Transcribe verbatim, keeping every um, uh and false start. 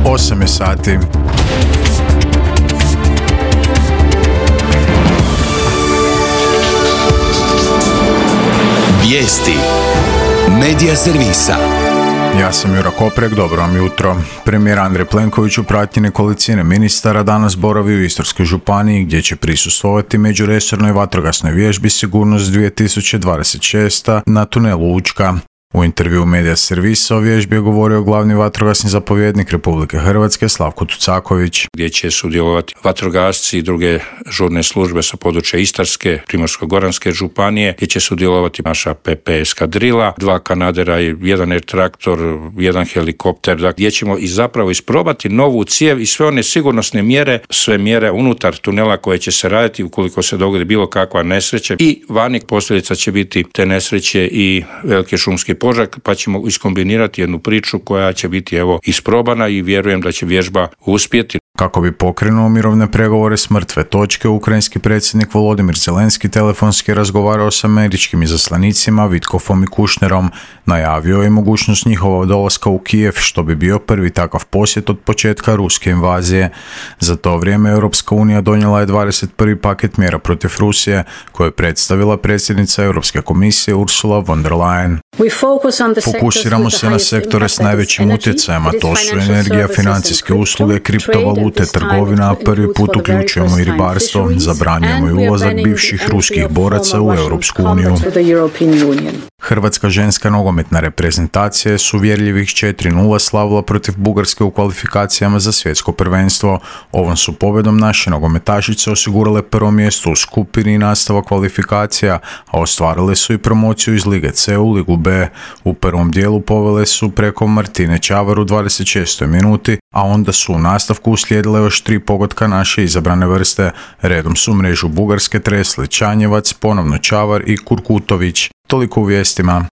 osam je sati. Vijesti Medija servisa. Ja sam Jura Koprek, dobro vam jutro. Premijer Andrej Plenković u pratnji nekolicine ministara danas boravi u Istarskoj županiji gdje će prisustvovati međuresornoj vatrogasnoj vježbi Sigurnost dvije tisuće dvadeset šest na tunelu Učka. U intervjuu Medija servisa o vježbi je govorio glavni vatrogasni zapovjednik Republike Hrvatske Slavko Tucaković. Gdje će sudjelovati vatrogasci i druge žurne službe sa područja Istarske, Primorsko-goranske županije, gdje će sudjelovati naša P P eskadrila, dva kanadera, jedan air traktor, jedan helikopter, gdje ćemo i zapravo isprobati novu cijev i sve one sigurnosne mjere, sve mjere unutar tunela koje će se raditi ukoliko se dogodi bilo kakva nesreća i vani posljedica će biti te nesreće i velike šumske požar, pa ćemo iskombinirati jednu priču koja će biti evo isprobana i vjerujem da će vježba uspjeti. Kako bi pokrenuo mirovne pregovore s mrtve točke, ukrajinski predsjednik Volodimir Zelenski telefonski razgovarao s američkim izaslanicima Vitkofom i Kušnerom. Najavio je mogućnost njihova dolaska u Kijev, što bi bio prvi takav posjet od početka ruske invazije. Za to vrijeme Europska unija donijela je dvadeset prvi paket mjera protiv Rusije, koje je predstavila predsjednica Europske komisije Ursula von der Leyen. Fokusiramo se na sektore s najvećim utjecajem, a to su energija, financijske usluge, kriptovalute, trgovina, a prvi put uključujemo i ribarstvo, zabranjujemo i ulazak bivših ruskih boraca u Europsku uniju. Hrvatska ženska nogometna reprezentacija je s uvjerljivih četiri nula slavila protiv Bugarske u kvalifikacijama za svjetsko prvenstvo. Ovom su pobjedom naše nogometašice osigurale prvo mjesto u skupini i nastavak kvalifikacija, a ostvarile su i promociju iz Lige C u Ligu B. U prvom dijelu povele su preko Martine Čavar u dvadeset šestoj minuti, a onda su u nastavku uslijedile još tri pogotka naše izabrane vrste. Redom su mrežu Bugarske tresli Čanjevac, ponovno Čavar i Kurkutović. Toliko u vijestima.